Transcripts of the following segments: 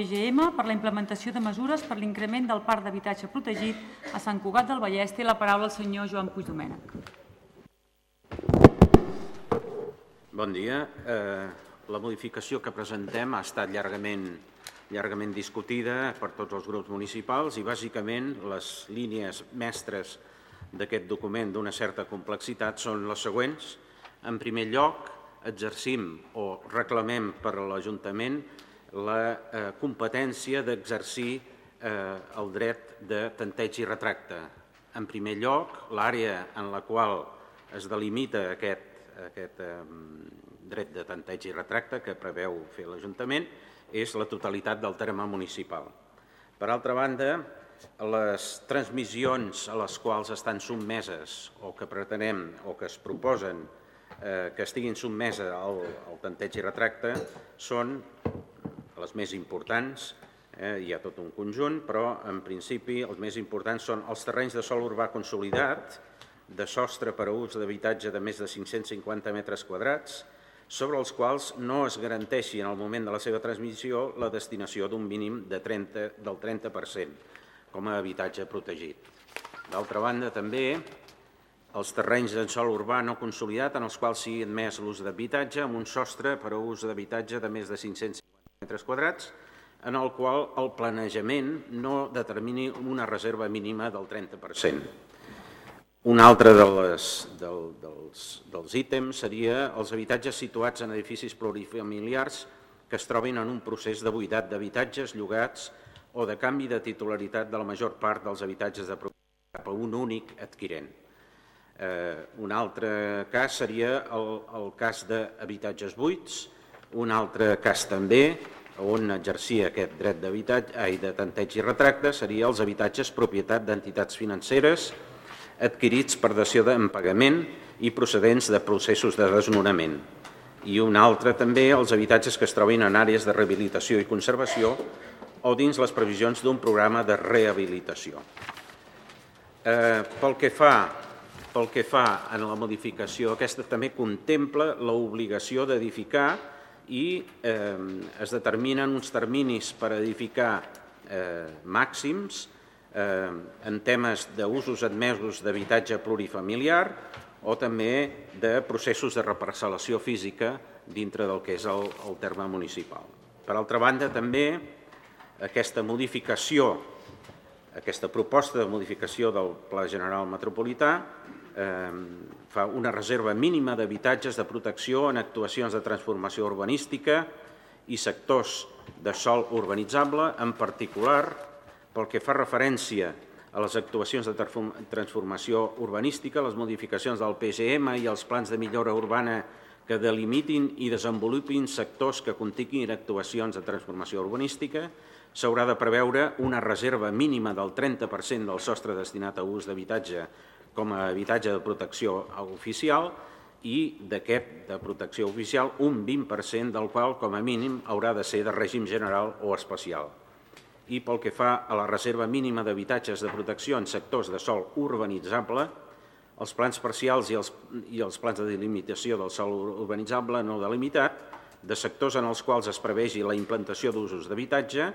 PGM per la implementació de mesures per l'increment del parc d'habitatge protegit a Sant Cugat del Vallès. Té la paraula el senyor Joan Puigdomènech. Bon dia. La modificació que presentem ha estat llargament discutida per tots els grups municipals i bàsicament les línies mestres d'aquest document d'una certa complexitat són les següents. En primer lloc, exercim o reclamem per a l'Ajuntament la competència d'exercir el dret de tanteig i retracte. En primer lloc, l'àrea en la qual es delimita aquest dret de tanteig i retracte que preveu fer l'Ajuntament és la totalitat del terme municipal. Per altra banda, les transmissions a les quals estan sotmeses o que pretenem o que es proposen que estiguin sotmeses al tanteig i retracte són les més importants. Hi ha tot un conjunt, però en principi els més importants són els terrenys de sòl urbà consolidat, de sostre per a ús d'habitatge de més de 550 metres quadrats, sobre els quals no es garanteixi en el moment de la seva transmissió la destinació d'un mínim del 30% com a habitatge protegit. D'altra banda, també els terrenys de sòl urbà no consolidat en els quals sigui admès l'ús d'habitatge amb un sostre per a ús d'habitatge de més de 550 metres quadrats, en el qual el planejament no determini una reserva mínima del 30%. Un altre dels ítems seria els habitatges situats en edificis plurifamiliars que es trobin en un procés de buidat d'habitatges llogats o de canvi de titularitat de la major part dels habitatges de propietat cap a un únic adquirent. Un altre cas seria el cas d'habitatges buits. Un altre cas també on exercia aquest dret de tanteig i retracte seria els habitatges propietat d'entitats financeres adquirits per dació en pagament i procedents de processos de desnonament. I un altre també els habitatges que es trobin en àrees de rehabilitació i conservació o dins les previsions d'un programa de rehabilitació. Pel que fa en la modificació, aquesta també contempla l'obligació d'edificar i es determinen uns terminis per edificar màxims en temes d'usos admesos d'habitatge plurifamiliar o també de processos de reparcel·lació física dintre del que és el terme municipal. Per altra banda, també aquesta proposta de modificació del Pla General Metropolità fa una reserva mínima d'habitatges de protecció en actuacions de transformació urbanística i sectors de sòl urbanitzable, en particular pel que fa referència a les actuacions de transformació urbanística, les modificacions del PGM i els plans de millora urbana que delimitin i desenvolupin sectors que continguin actuacions de transformació urbanística, s'haurà de preveure una reserva mínima del 30% del sostre destinat a ús d'habitatge com a habitatge de protecció oficial i d'aquest de protecció oficial un 20% del qual com a mínim haurà de ser de règim general o especial. I pel que fa a la reserva mínima d'habitatges de protecció en sectors de sòl urbanitzable, els plans parcials i els plans de delimitació del sòl urbanitzable no delimitat, de sectors en els quals es prevegi la implantació d'usos d'habitatge,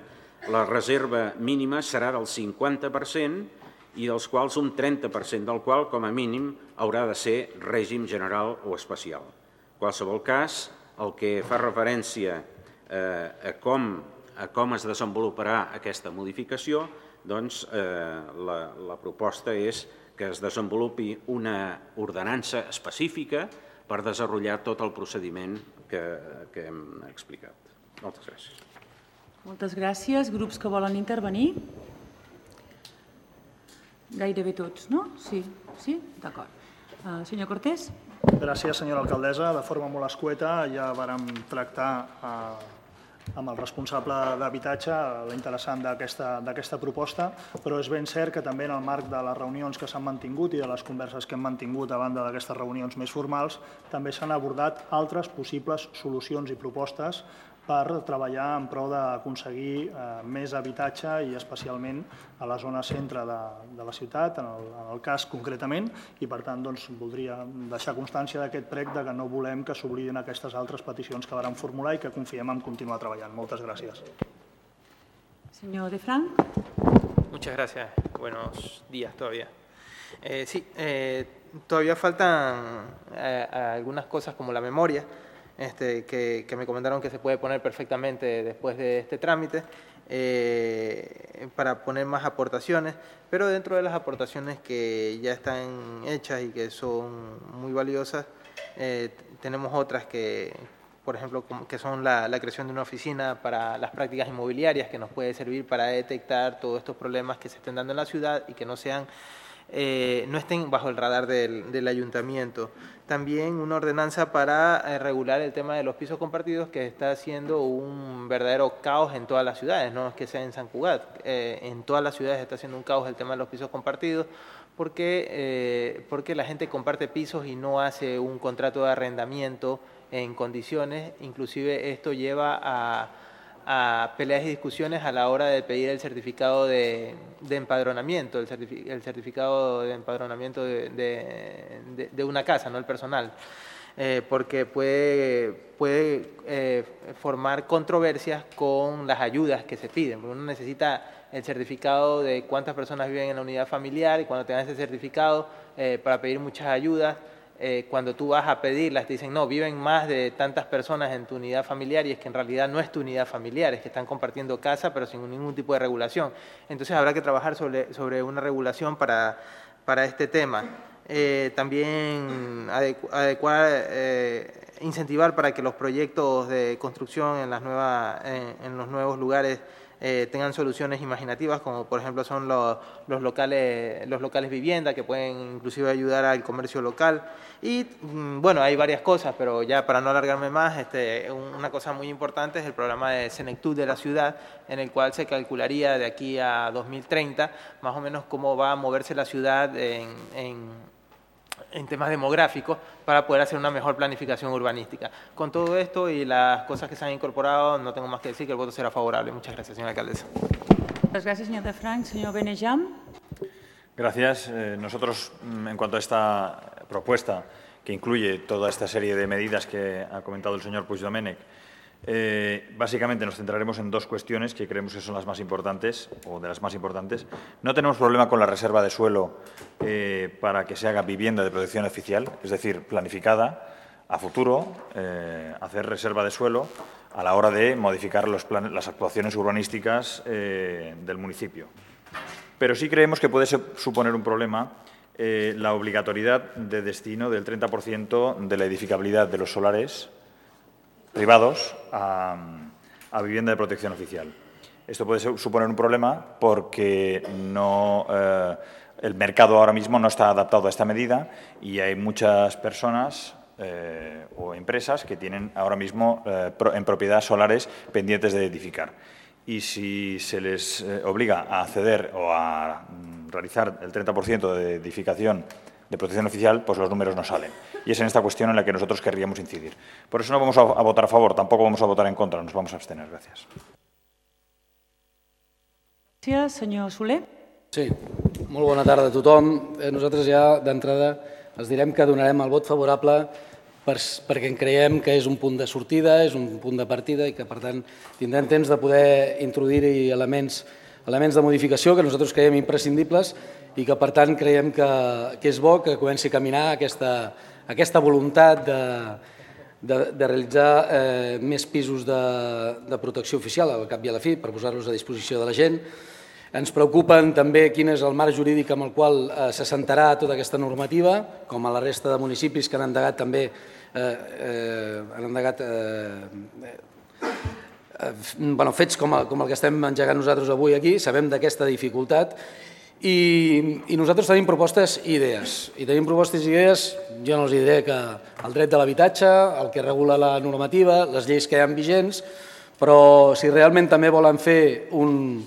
la reserva mínima serà del 50% i dels quals un 30% del qual, com a mínim, haurà de ser règim general o especial. En qualsevol cas, el que fa referència a com es desenvoluparà aquesta modificació, doncs la proposta és que es desenvolupi una ordenança específica per desenvolupar tot el procediment que hem explicat. Moltes gràcies. Moltes gràcies. Grups que volen intervenir? Gairebé tots, no? Sí? D'acord. Senyor Cortés? Gràcies, senyora alcaldessa. De forma molt escueta ja vàrem tractar amb el responsable d'habitatge l'interessant d'aquesta proposta, però és ben cert que també en el marc de les reunions que s'han mantingut i de les converses que hem mantingut a banda d'aquestes reunions més formals, també s'han abordat altres possibles solucions i propostes per treballar en prou d'aconseguir més habitatge i especialment a la zona centre de la ciutat, en el cas concretament, i per tant voldria deixar constància d'aquest prec que no volem que s'oblidin aquestes altres peticions que vàrem formular i que confiem en continuar treballant. Moltes gràcies. Señor De Frank. Muchas gracias. Buenos días todavía. Sí, todavía faltan algunas cosas como la memoria, que me comentaron que se puede poner perfectamente después de este trámite, para poner más aportaciones, pero dentro de las aportaciones que ya están hechas y que son muy valiosas, tenemos otras que, por ejemplo, que son la creación de una oficina para las prácticas inmobiliarias, que nos puede servir para detectar todos estos problemas que se estén dando en la ciudad y que no estén bajo el radar del ayuntamiento. También una ordenanza para regular el tema de los pisos compartidos, que está haciendo un verdadero caos en todas las ciudades, no es que sea en San Cugat, en todas las ciudades está haciendo un caos el tema de los pisos compartidos, porque la gente comparte pisos y no hace un contrato de arrendamiento en condiciones. Inclusive esto lleva a peleas y discusiones a la hora de pedir el certificado de empadronamiento, el certificado de empadronamiento de una casa, no el personal, porque puede formar controversias con las ayudas que se piden, porque uno necesita el certificado de cuántas personas viven en la unidad familiar, y cuando tengas ese certificado para pedir muchas ayudas, cuando tú vas a pedirlas te dicen no, viven más de tantas personas en tu unidad familiar, y es que en realidad no es tu unidad familiar, es que están compartiendo casa pero sin ningún tipo de regulación. Entonces habrá que trabajar sobre una regulación para este tema. También incentivar para que los proyectos de construcción en los nuevos lugares tengan soluciones imaginativas, como por ejemplo son los locales vivienda, que pueden inclusive ayudar al comercio local. Y bueno, hay varias cosas, pero ya para no alargarme más, una cosa muy importante es el programa de Senectud de la ciudad, en el cual se calcularía de aquí a 2030 más o menos cómo va a moverse la ciudad en temas demográficos, para poder hacer una mejor planificación urbanística. Con todo esto y las cosas que se han incorporado, no tengo más que decir que el voto será favorable. Muchas gracias, señora alcaldesa. Muchas gracias, señor De Frank. Señor Benejam. Gracias. Nosotros, en cuanto a esta propuesta, que incluye toda esta serie de medidas que ha comentado el señor Puigdomènech, básicamente nos centraremos en dos cuestiones que creemos que son las más importantes, o de las más importantes. No tenemos problema con la reserva de suelo para que se haga vivienda de protección oficial, es decir, planificada a futuro, hacer reserva de suelo a la hora de modificar las actuaciones urbanísticas del municipio. Pero sí creemos que puede suponer un problema la obligatoriedad de destino del 30% de la edificabilidad de los solares privados a vivienda de protección oficial. Esto puede suponer un problema porque el mercado ahora mismo no está adaptado a esta medida, y hay muchas personas o empresas que tienen ahora mismo en propiedad solares pendientes de edificar. Y si se les obliga a acceder o a realizar el 30% de edificación de protección oficial, pues los números no salen. Y es en esta cuestión en la que nosotros querríamos incidir. Por eso no vamos a votar a favor, tampoco vamos a votar en contra, nos vamos a abstener. Gracias. Gràcies, senyor Soler. Sí, molt bona tarda a tothom. Nosaltres ja d'entrada els direm que donarem el vot favorable perquè en creiem que és un punt de sortida, és un punt de partida, i que per tant tindrem temps de poder introduir-hi elements de modificació que nosaltres creiem imprescindibles, i que per tant creiem que és bo que comenci a caminar aquesta voluntat de realitzar més pisos de protecció oficial, al cap i a la fi, per posar-los a disposició de la gent. Ens preocupen també quin és el marc jurídic amb el qual s'assentarà tota aquesta normativa, com a la resta de municipis que han endegat també fets com el que estem engegant nosaltres avui aquí. Sabem d'aquesta dificultat i nosaltres tenim propostes i idees. I tenim propostes i idees, jo no els diré que el dret de l'habitatge, el que regula la normativa, les lleis que hi ha vigents, però si realment també volen fer un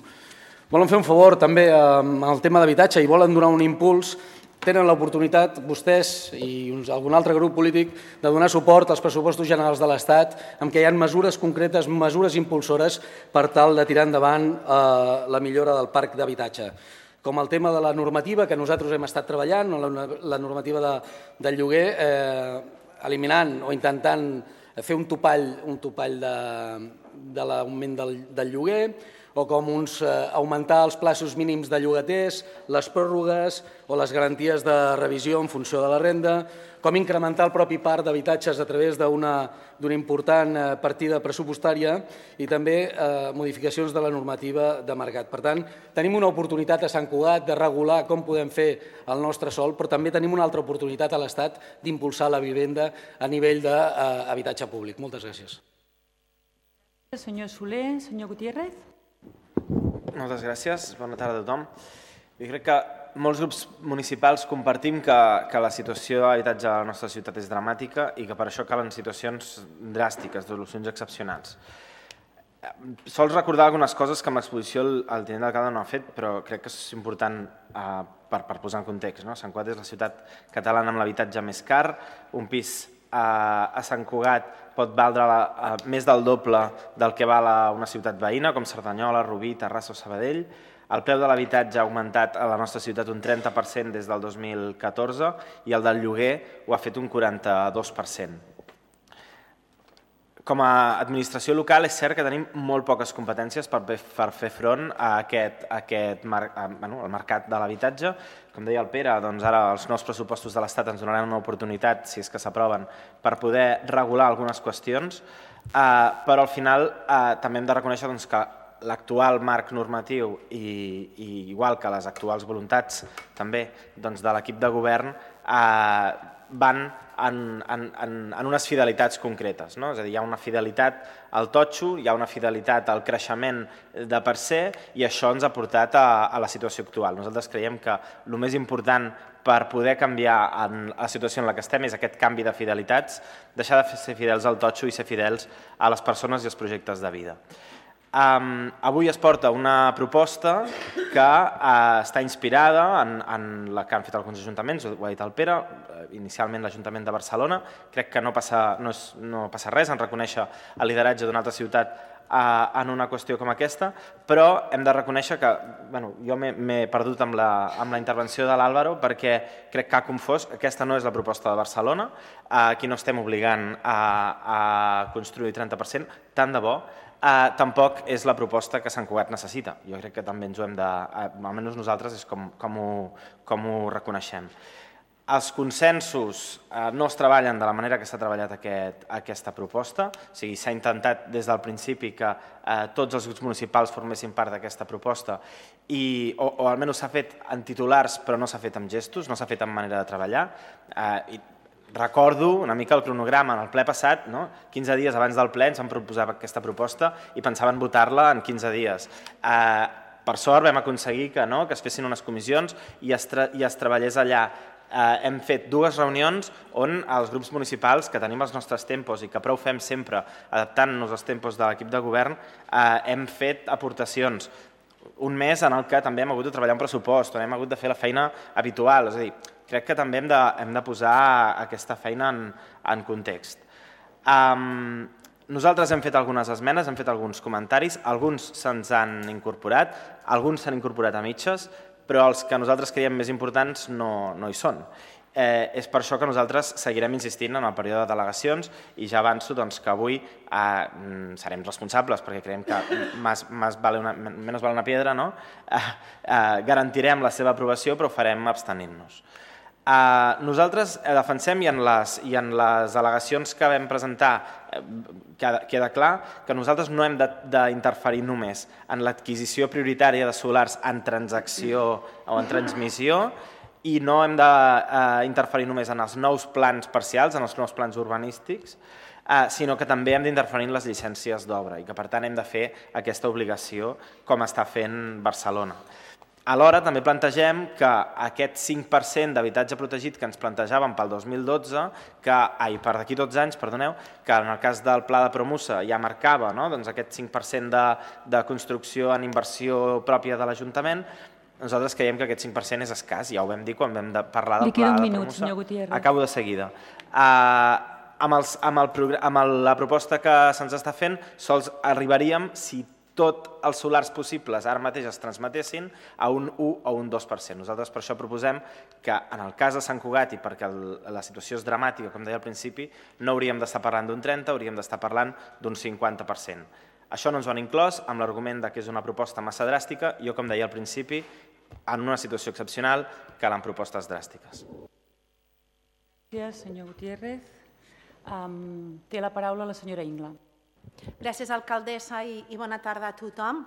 favor també amb el tema d'habitatge i volen donar un impuls, tenen l'oportunitat, vostès i algun altre grup polític, de donar suport als pressupostos generals de l'Estat, en què hi ha mesures concretes, mesures impulsores per tal de tirar endavant la millora del parc d'habitatge. Com el tema de la normativa que nosaltres hem estat treballant, la normativa del lloguer, eliminant o intentant fer un topall de l'augment del lloguer, o com augmentar els plaços mínims de llogaters, les pròrrogues o les garanties de revisió en funció de la renda, com incrementar el propi parc d'habitatges a través d'una important partida pressupostària i també modificacions de la normativa de mercat. Per tant, tenim una oportunitat a Sant Cugat de regular com podem fer el nostre sòl, però també tenim una altra oportunitat a l'Estat d'impulsar la vivenda a nivell d'habitatge públic. Moltes gràcies. Senyor Soler, senyor Gutiérrez. Moltes gràcies. Bona tarda a tothom. Jo crec que molts grups municipals compartim que la situació d'habitatge a la nostra ciutat és dramàtica i que per això calen situacions dràstiques, solucions excepcionals. Sols recordar algunes coses que amb l'exposició el tinent d'alcalde no ha fet, però crec que és important per posar en context. Sant Cugat és la ciutat catalana amb l'habitatge més car, un pis a Sant Cugat pot valdre més del doble del que val a una ciutat veïna, com Cerdanyola, Rubí, Terrassa o Sabadell. El preu de l'habitatge ha augmentat a la nostra ciutat un 30% des del 2014 i el del lloguer ho ha fet un 42%. Com a administració local és cert que tenim molt poques competències per fer front a al mercat de l'habitatge. Com deia el Pere, doncs ara els nous pressupostos de l'Estat ens donaran una oportunitat, si és que s'aproven, per poder regular algunes qüestions, però al final també hem de reconèixer que l'actual marc normatiu i igual que les actuals voluntats també de l'equip de govern van en unes fidelitats concretes. És a dir, hi ha una fidelitat al totxo, hi ha una fidelitat al creixement de per se i això ens ha portat a la situació actual. Nosaltres creiem que el més important per poder canviar la situació en la que estem és aquest canvi de fidelitats, deixar de ser fidels al totxo i ser fidels a les persones i als projectes de vida. Avui es porta una proposta que està inspirada en la que han fet alguns ajuntaments, ho ha dit el Pere, inicialment l'Ajuntament de Barcelona. Crec que no passa res en reconèixer el lideratge d'una altra ciutat en una qüestió com aquesta, però hem de reconèixer que jo m'he perdut amb la intervenció de l'Àlvaro perquè crec que ha confós. Aquesta no és la proposta de Barcelona, aquí no estem obligant a construir el 30%, tant de bo. Tampoc és la proposta que Sant Cugat necessita. Jo crec que també ens ho hem de... Almenys nosaltres és com ho reconeixem. Els consensos no es treballen de la manera que s'ha treballat aquesta proposta. O sigui, s'ha intentat des del principi que tots els grups municipals formessin part d'aquesta proposta o almenys s'ha fet en titulars però no s'ha fet amb gestos, no s'ha fet en manera de treballar. Recordo una mica el cronograma en el ple passat, 15 dies abans del ple ens van proposar aquesta proposta i pensaven votar-la en 15 dies. Per sort vam aconseguir que es fessin unes comissions i es treballés allà. Hem fet 2 reunions on els grups municipals, que tenim els nostres tempos i que prou fem sempre adaptant-nos als tempos de l'equip de govern, hem fet aportacions. Un mes en el que també hem hagut de treballar un pressupost, on hem hagut de fer la feina habitual, és a dir, crec que també hem de posar aquesta feina en context. Nosaltres hem fet algunes esmenes, hem fet alguns comentaris, alguns se'ns han incorporat, alguns s'han incorporat a mitges, però els que nosaltres creiem més importants no hi són. És per això que nosaltres seguirem insistint en el període de delegacions i ja avanço que avui serem responsables perquè creiem que menos vale una piedra, garantirem la seva aprovació però ho farem abstenint-nos. Nosaltres defensem i en les al·legacions que vam presentar queda clar que nosaltres no hem d'interferir només en l'adquisició prioritària de solars en transacció o en transmissió i no hem d'interferir només en els nous plans parcials, en els nous plans urbanístics, sinó que també hem d'interferir en les llicències d'obra i que per tant hem de fer aquesta obligació com està fent Barcelona. Alhora també plantegem que aquest 5% d'habitatge protegit que ens plantejàvem pel 2012, per d'aquí 12 anys, perdoneu, que en el cas del Pla de Promusa ja marcava aquest 5% de construcció en inversió pròpia de l'Ajuntament, nosaltres creiem que aquest 5% és escàs, ja ho vam dir quan vam parlar del Pla de Promusa. Li queda un minut, senyor Gutiérrez. Acabo de seguida. Amb la proposta que se'ns està fent, sols arribaríem, si tots els solars possibles ara mateix es transmetessin, a un 1 o un 2%. Nosaltres per això proposem que en el cas de Sant Cugat, i perquè la situació és dramàtica, com deia al principi, no hauríem d'estar parlant d'un 30%, hauríem d'estar parlant d'un 50%. Això no ens ho han inclòs amb l'argument que és una proposta massa dràstica. Jo, com deia al principi, en una situació excepcional calen propostes dràstiques. Gràcies, senyor Gutiérrez. Té la paraula la senyora Ingla. Gràcies, alcaldessa, i bona tarda a tothom.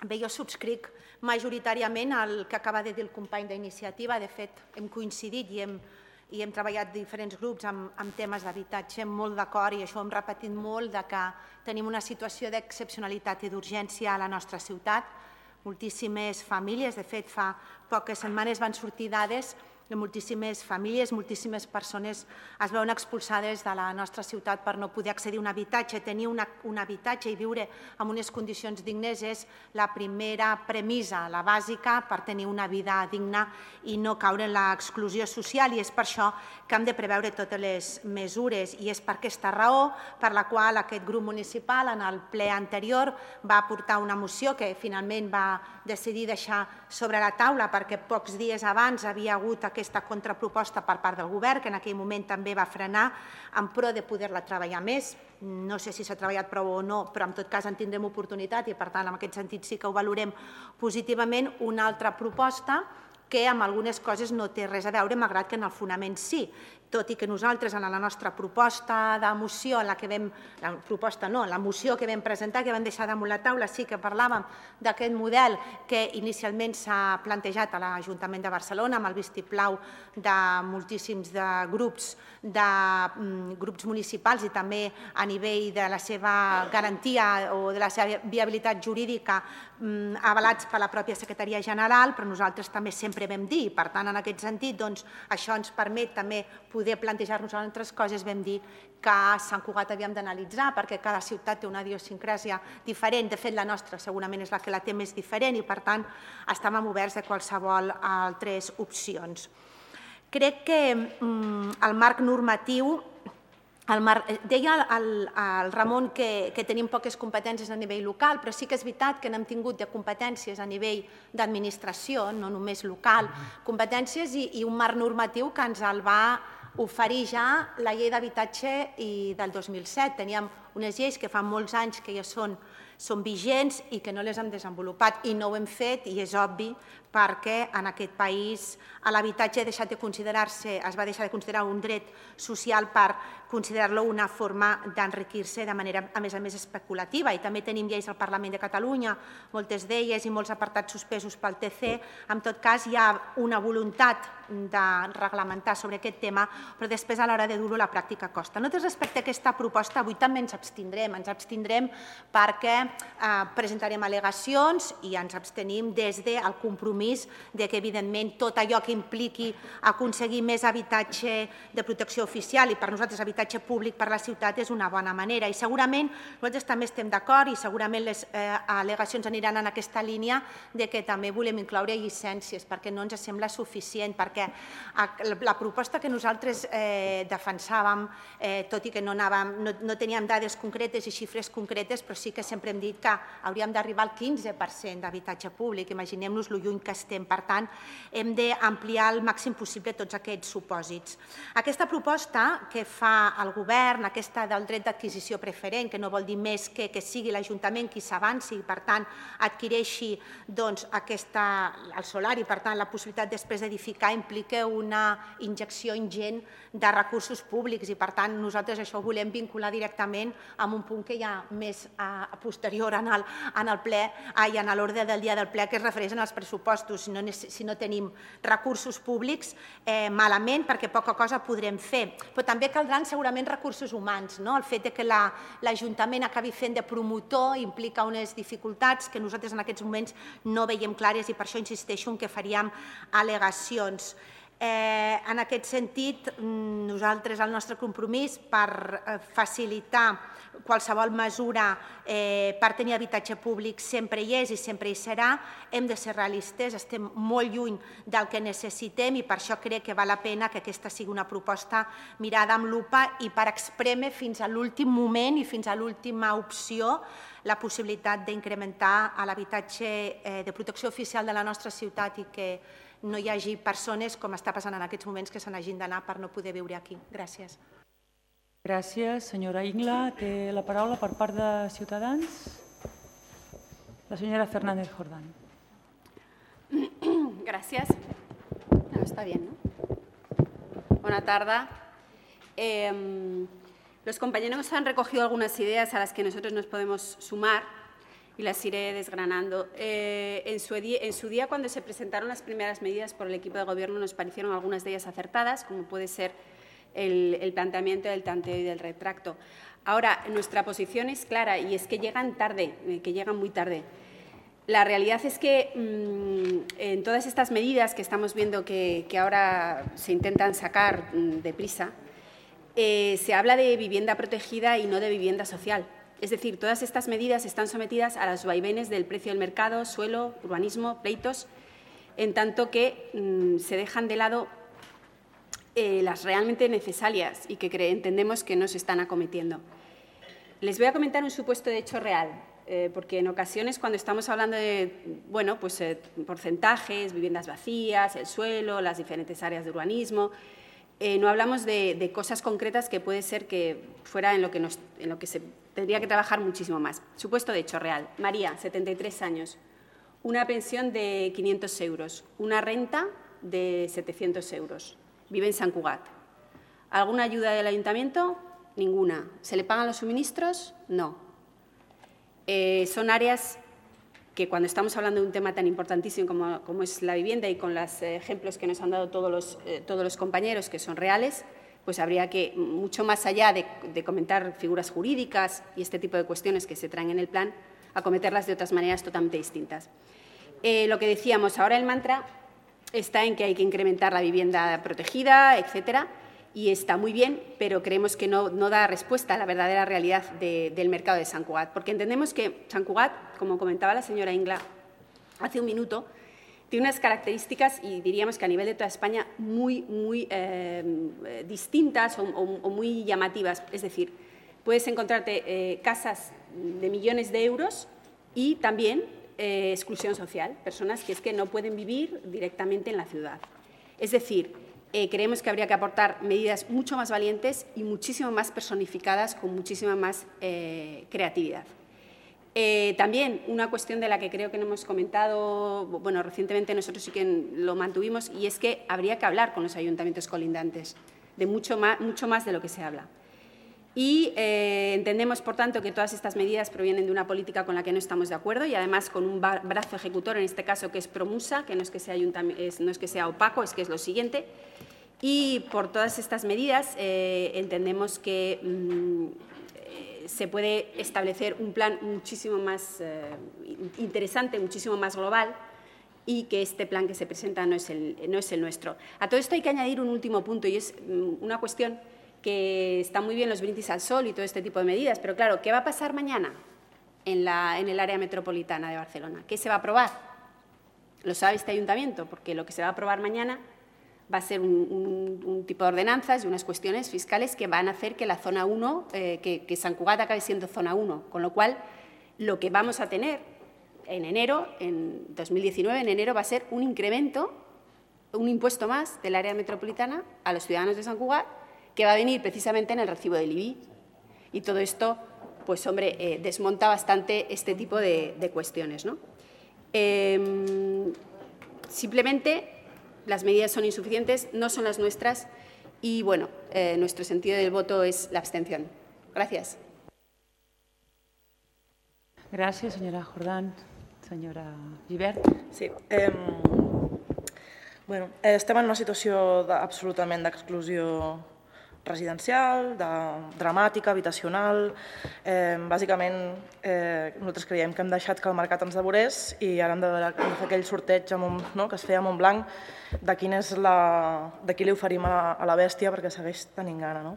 Bé, jo subscric majoritàriament el que acaba de dir el company d'Iniciativa. De fet, hem coincidit i hem treballat diferents grups amb temes d'habitatge, molt d'acord, i això ho hem repetit molt, que tenim una situació d'excepcionalitat i d'urgència a la nostra ciutat. Moltíssimes famílies, de fet, fa poques setmanes van sortir dades de moltíssimes famílies, moltíssimes persones es veuen expulsades de la nostra ciutat per no poder accedir a un habitatge. Tenir un habitatge i viure en unes condicions dignes és la primera premissa, la bàsica, per tenir una vida digna i no caure en l'exclusió social, i és per això que hem de preveure totes les mesures, i és per aquesta raó per la qual aquest grup municipal en el ple anterior va aportar una moció que finalment va decidir deixar sobre la taula perquè pocs dies abans havia hagut aquesta contraproposta per part del govern, que en aquell moment també va frenar en pro de poder-la treballar més. No sé si s'ha treballat prou o no, però en tot cas en tindrem oportunitat i, per tant, en aquest sentit sí que ho valorem positivament. Una altra proposta que amb algunes coses no té res a veure, malgrat que en el fonament sí, tot i que nosaltres en la nostra proposta de moció, la moció que vam presentar, que vam deixar damunt la taula, sí que parlàvem d'aquest model que inicialment s'ha plantejat a l'Ajuntament de Barcelona amb el vistiplau de moltíssims grups municipals i també a nivell de la seva garantia o de la seva viabilitat jurídica avalats per la pròpia Secretaria General, però nosaltres també sempre vam dir, i per tant en aquest sentit això ens permet també poder plantejar-nos altres coses. Vam dir que a Sant Cugat havíem d'analitzar perquè cada ciutat té una idiosincràsia diferent. De fet, la nostra segurament és la que la té més diferent i, per tant, estàvem oberts a qualsevol altres opcions. Crec que el marc normatiu, deia el Ramon que tenim poques competències a nivell local, però sí que és veritat que n'hem tingut de competències a nivell d'administració, no només local, competències i un marc normatiu que ens el va oferir ja la llei d'habitatge del 2007. Teníem unes lleis que fa molts anys que ja són vigents i que no les hem desenvolupat, i no ho hem fet, i és obvi, perquè en aquest país l'habitatge es va deixar de considerar un dret social per considerar-lo una forma d'enriquir-se de manera, a més especulativa. I també tenim lleis al Parlament de Catalunya, moltes d'elles i molts apartats suspesos pel TC. En tot cas, hi ha una voluntat de reglamentar sobre aquest tema, però després a l'hora de dur-ho a la pràctica costa. Nosaltres respecte a aquesta proposta avui també ens abstindrem perquè presentarem al·legacions i ens abstenim des del compromís que, evidentment, tot allò que impliqui aconseguir més habitatge de protecció oficial i per nosaltres habitatge públic per la ciutat és una bona manera. I segurament nosaltres també estem d'acord i segurament les al·legacions aniran en aquesta línia de que també volem incloure llicències perquè no ens sembla suficient, perquè la proposta que nosaltres defensàvem, tot i que no teníem dades concretes i xifres concretes, però sí que sempre hem dit que hauríem d'arribar al 15% d'habitatge públic. Imaginem-nos lo lluny que estem. Per tant, hem d'ampliar al màxim possible tots aquests supòsits. Aquesta proposta que fa el govern, aquesta del dret d'adquisició preferent, que no vol dir més que sigui l'Ajuntament qui s'avanci i, per tant, adquireixi el solar i, per tant, la possibilitat després d'edificar implica una injecció ingent de recursos públics i, per tant, nosaltres això ho volem vincular directament amb un punt que hi ha més posterior en l'ordre del dia del ple, que es refereix als pressupostos. Si no tenim recursos públics, malament, perquè poca cosa podrem fer. Però també caldran segurament recursos humans. El fet que l'Ajuntament acabi fent de promotor implica unes dificultats que nosaltres en aquests moments no veiem clares i per això insisteixo en que faríem al·legacions. En aquest sentit, nosaltres el nostre compromís per facilitar qualsevol mesura per tenir habitatge públic sempre hi és i sempre hi serà. Hem de ser realistes, estem molt lluny del que necessitem i per això crec que val la pena que aquesta sigui una proposta mirada amb lupa i per esprémer fins a l'últim moment i fins a l'última opció la possibilitat d'incrementar l'habitatge de protecció oficial de la nostra ciutat i que no hi hagi persones, com està passant en aquests moments, que se n'hagin d'anar per no poder viure aquí. Gràcies. Gràcies, senyora Ingla. Té la paraula per part de Ciutadans. La señora Fernández Jordán. Gracias. Está bien, ¿no? Buena tarde. Los compañeros han recogido algunas ideas a las que nosotros nos podemos sumar y las iré desgranando. En su día, cuando se presentaron las primeras medidas por el equipo de Gobierno, nos parecieron algunas de ellas acertadas, como puede ser el planteamiento del tanteo y del retracto. Ahora, nuestra posición es clara y es que llegan tarde, que llegan muy tarde. La realidad es que en todas estas medidas que estamos viendo que ahora se intentan sacar deprisa, se habla de vivienda protegida y no de vivienda social. Es decir, todas estas medidas están sometidas a los vaivenes del precio del mercado, suelo, urbanismo, pleitos, en tanto que se dejan de lado las realmente necesarias y que entendemos que no se están acometiendo. Les voy a comentar un supuesto de hecho real, porque en ocasiones cuando estamos hablando de porcentajes, viviendas vacías, el suelo, las diferentes áreas de urbanismo, no hablamos de cosas concretas que puede ser que fuera en lo que se tendría que trabajar muchísimo más. Supuesto de hecho real. María, 73 años, una pensión de 500 euros, una renta de 700 euros. Vive en Sant Cugat. ¿Alguna ayuda del ayuntamiento? Ninguna. ¿Se le pagan los suministros? No. Son áreas que cuando estamos hablando de un tema tan importantísimo como es la vivienda y con los ejemplos que nos han dado todos los compañeros que son reales, pues habría que, mucho más allá de comentar figuras jurídicas y este tipo de cuestiones que se traen en el plan, acometerlas de otras maneras totalmente distintas. Lo que decíamos, ahora el mantra está en que hay que incrementar la vivienda protegida, etcétera, y está muy bien, pero creemos que no da respuesta a la verdadera realidad del mercado de Sant Cugat, porque entendemos que Sant Cugat, como comentaba la señora Ingla hace un minuto, tiene unas características, y diríamos que a nivel de toda España, muy distintas o muy llamativas. Es decir, puedes encontrarte casas de millones de euros y también exclusión social, personas que es que no pueden vivir directamente en la ciudad. Es decir, creemos que habría que aportar medidas mucho más valientes y muchísimo más personificadas, con muchísima más creatividad. También una cuestión de la que creo que no hemos comentado, bueno, recientemente nosotros sí que lo mantuvimos, y es que habría que hablar con los ayuntamientos colindantes de mucho más de lo que se habla. Y entendemos, por tanto, que todas estas medidas provienen de una política con la que no estamos de acuerdo y, además, con un brazo ejecutor, en este caso, que es Promusa, que no es que sea opaco, es que es lo siguiente. Y por todas estas medidas entendemos que se puede establecer un plan muchísimo más interesante, muchísimo más global, y que este plan que se presenta no es el nuestro. A todo esto hay que añadir un último punto, y es una cuestión que está muy bien los brindis al sol y todo este tipo de medidas, pero claro, ¿qué va a pasar mañana en el área metropolitana de Barcelona? ¿Qué se va a aprobar? Lo sabe este ayuntamiento, porque lo que se va a aprobar mañana va a ser un tipo de ordenanzas y unas cuestiones fiscales que van a hacer que la zona 1, que Sant Cugat acabe siendo zona 1, con lo cual lo que vamos a tener en enero, en 2019, en enero, va a ser un incremento, un impuesto más del área metropolitana a los ciudadanos de Sant Cugat, que va a venir precisamente en el recibo del IBI. Y todo esto, pues hombre, desmonta bastante este tipo de cuestiones, ¿no? Simplemente las medidas son insuficientes, no son las nuestras y, bueno, nuestro sentido del voto es la abstención. Gracias. Gràcies, senyora Jordán. Senyora Gibert. Sí. Bueno, estem en una situació absolutament d'exclusió residencial, dramàtica, habitacional. Bàsicament, nosaltres creiem que hem deixat que el mercat ens devorés i ara hem de fer aquell sorteig que es feia a Montblanc de de qui li oferim a la bèstia perquè segueix tenint gana.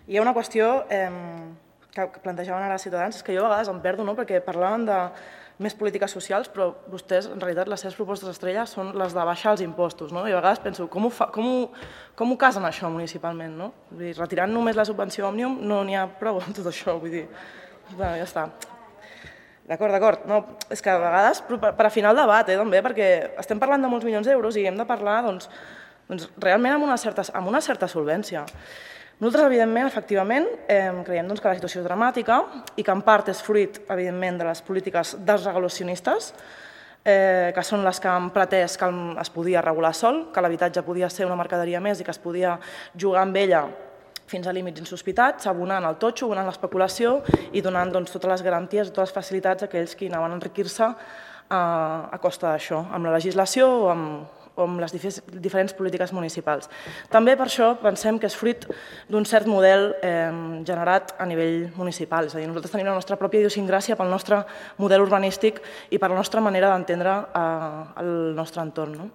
Hi ha una qüestió que plantejaven ara els ciutadans, és que jo a vegades em perdo, perquè parlaven de més polítiques socials, però vostès, en realitat, les seves propostes estrella són les de baixar els impostos, i a vegades penso, com ho casen això municipalment? Retirant només la subvenció Òmnium no n'hi ha prou amb tot això, vull dir, ja està. D'acord, és que a vegades, per afinar el debat també, perquè estem parlant de molts milions d'euros i hem de parlar realment amb una certa solvència. Nosaltres, evidentment, efectivament, creiem que la situació és dramàtica i que en part és fruit, evidentment, de les polítiques desregulacionistes, que són les que han pretès que es podia regular sol, que l'habitatge podia ser una mercaderia més i que es podia jugar amb ella fins a límits insospitats, abonant el totxo, abonant l'especulació i donant totes les garanties i totes les facilitats a aquells que anaven a enriquir-se a costa d'això, amb la legislació o amb les diferents polítiques municipals. També per això pensem que és fruit d'un cert model generat a nivell municipal, és a dir, nosaltres tenim la nostra pròpia idiosincràsia pel nostre model urbanístic i per la nostra manera d'entendre el nostre entorn.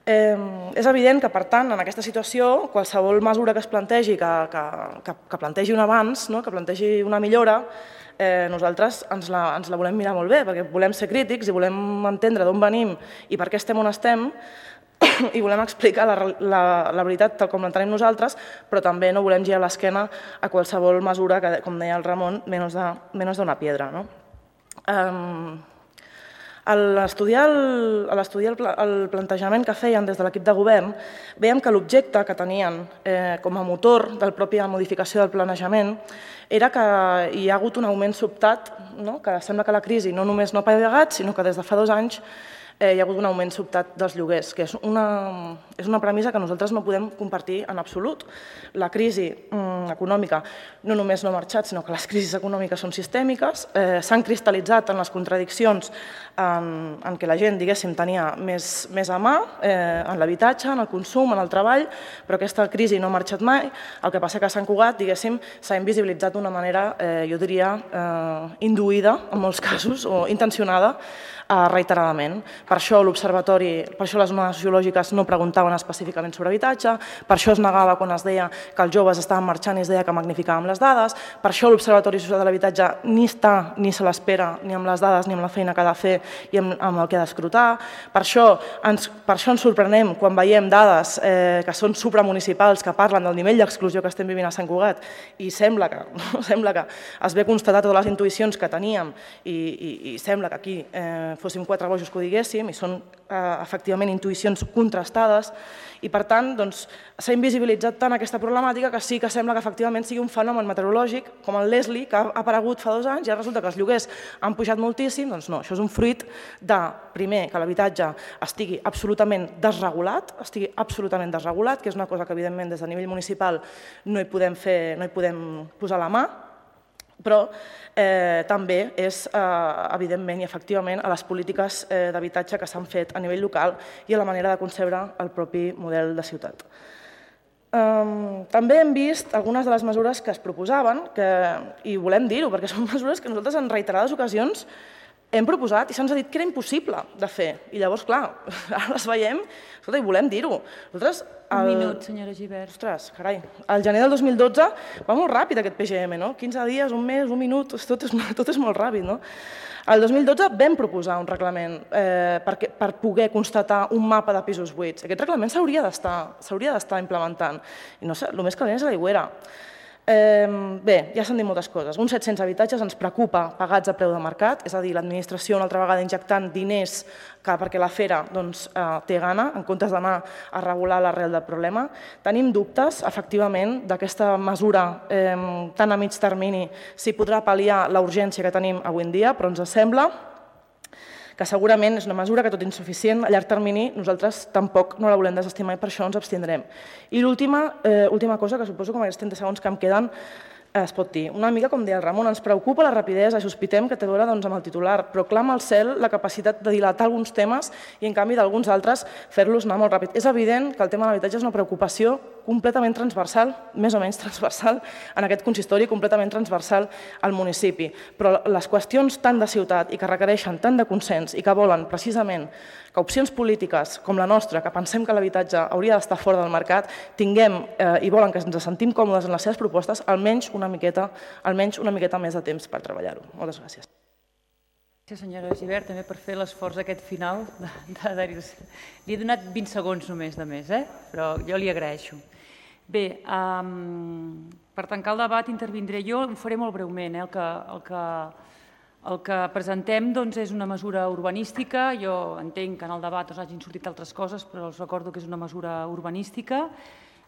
És evident que, per tant, en aquesta situació, qualsevol mesura que es plantegi, que plantegi un avanç, que plantegi una millora, nosaltres ens la volem mirar molt bé, perquè volem ser crítics i volem entendre d'on venim i per què estem on estem i volem explicar la veritat tal com l'entenem nosaltres, però també no volem girar l'esquena a qualsevol mesura que, com deia el Ramon, menos de una piedra. A l'estudiar el plantejament que feien des de l'equip de govern, veiem que l'objecte que tenien com a motor de la pròpia modificació del planejament era que hi ha hagut un augment sobtat, que sembla que la crisi no només no ha pagat, sinó que des de fa 2 anys hi ha hagut un augment sobtat dels lloguers, que és una premissa que nosaltres no podem compartir en absolut. La crisi econòmica no només no ha marxat, sinó que les crisis econòmiques són sistèmiques, s'han cristal·litzat en les contradiccions en què la gent, diguéssim, tenia més a mà, en l'habitatge, en el consum, en el treball, però aquesta crisi no ha marxat mai. El que passa que a Sant Cugat, diguéssim, s'ha invisibilitzat d'una manera, jo diria, induïda, en molts casos, o intencionada, reiteradament. Per això l'Observatori, per això les zones sociològiques no preguntaven específicament sobre habitatge, per això es negava quan es deia que els joves estaven marxant i es deia que magnificàvem les dades, per això l'Observatori Social de l'Habitatge ni està ni se l'espera ni amb les dades ni amb la feina que ha de fer i amb el que ha d'escrutar, per això ens sorprenem quan veiem dades que són supramunicipals que parlen del nivell d'exclusió que estem vivint a Sant Cugat i sembla que es ve constatar totes les intuïcions que teníem i sembla que aquí fóssim 4 bojos que ho diguéssim, i són efectivament intuïcions contrastades, i per tant s'ha invisibilitzat tant aquesta problemàtica que sí que sembla que efectivament sigui un fenomen meteorològic com el Leslie, que ha aparegut fa 2 anys i ara resulta que els lloguers han pujat moltíssim. Doncs no, això és un fruit de, primer, que l'habitatge estigui absolutament desregulat, que és una cosa que evidentment des de nivell municipal no hi podem posar la mà, però també és, evidentment i efectivament, a les polítiques d'habitatge que s'han fet a nivell local i a la manera de concebre el propi model de ciutat. També hem vist algunes de les mesures que es proposaven, i volem dir-ho, perquè són mesures que nosaltres en reiterades ocasions hem proposat i se'ns ha dit que era impossible de fer. I llavors, clar, ara les veiem i volem dir-ho. Un minut, senyora Gibert. Ostres, carai, al gener del 2012 va molt ràpid aquest PGM, no? 15 dies, un mes, un minut, tot és molt ràpid, no? El 2012 vam proposar un reglament per poder constatar un mapa de pisos buits. Aquest reglament s'hauria d'estar implementant. I no sé, el més calent és a l'aigüera. Bé, ja s'han dit moltes coses. Uns 700 habitatges ens preocupa pagats a preu de mercat, és a dir, l'administració una altra vegada injectant diners perquè la Fera té gana, en comptes d'anar a regular l'arrel del problema. Tenim dubtes, efectivament, d'aquesta mesura tan a mig termini, si podrà pal·liar la urgència que tenim avui en dia, però ens sembla que segurament és una mesura que, tot insuficient, a llarg termini nosaltres tampoc no la volem desestimar i per això ens abstindrem. I l'última cosa, que suposo que amb aquests 30 segons que em queden es pot dir. Una mica com deia el Ramon, ens preocupa la rapidesa i sospitem que té a veure amb el titular, però clama al cel la capacitat de dilatar alguns temes i, en canvi, d'alguns altres fer-los anar molt ràpid. És evident que el tema de l'habitatge és una preocupació completament transversal, més o menys transversal, en aquest consistori, completament transversal al municipi. Però les qüestions tant de ciutat i que requereixen tant de consens i que volen precisament que opcions polítiques com la nostra, que pensem que l'habitatge hauria d'estar fora del mercat, tinguem i volen que ens sentim còmodes en les seves propostes, almenys una miqueta més de temps per treballar-ho. Moltes gràcies. Gràcies, senyora Gibert, també per fer l'esforç aquest final. Li he donat 20 segons només de més, però jo li agraeixo. Bé, per tancar el debat intervindré jo, ho faré molt breument. El que presentem és una mesura urbanística. Jo entenc que en el debat hagin sortit altres coses, però els recordo que és una mesura urbanística.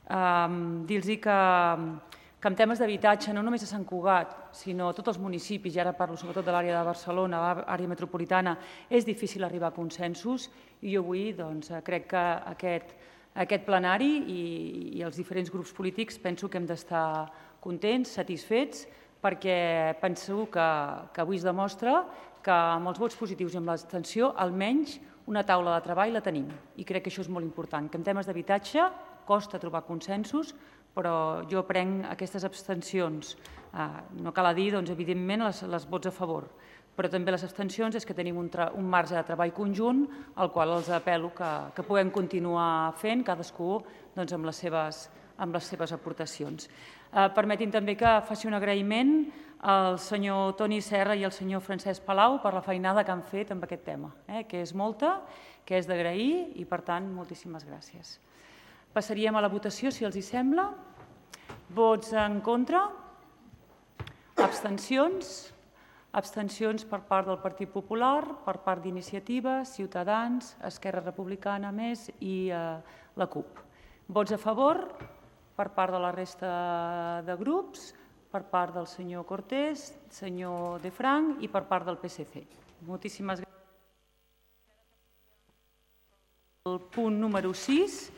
Dir-los que en temes d'habitatge, no només a Sant Cugat, sinó a tots els municipis, i ara parlo sobretot de l'àrea de Barcelona, l'àrea metropolitana, és difícil arribar a consensos i jo avui crec que aquest plenari i els diferents grups polítics penso que hem d'estar contents, satisfets, perquè penso que avui es demostra que amb els vots positius i amb l'abstenció almenys una taula de treball la tenim i crec que això és molt important, que en temes d'habitatge costa trobar consensos, però jo prenc aquestes abstencions. No cal dir, evidentment, les vots a favor, però també les abstencions és que tenim un marge de treball conjunt al qual els apel·lo que puguem continuar fent, cadascú amb les seves aportacions. Permetin també que faci un agraïment al senyor Toni Serra i al senyor Francesc Palau per la feinada que han fet amb aquest tema, que és molta, que és d'agrair i, per tant, moltíssimes gràcies. Passaríem a la votació, si els hi sembla. Vots en contra? Abstencions? Abstencions per part del Partit Popular, per part d'Iniciativa, Ciutadans, Esquerra Republicana Més i la CUP. Vots a favor per part de la resta de grups, per part del senyor Cortés, senyor De Frank i per part del PSC. Moltíssimes gràcies. El punt número 6.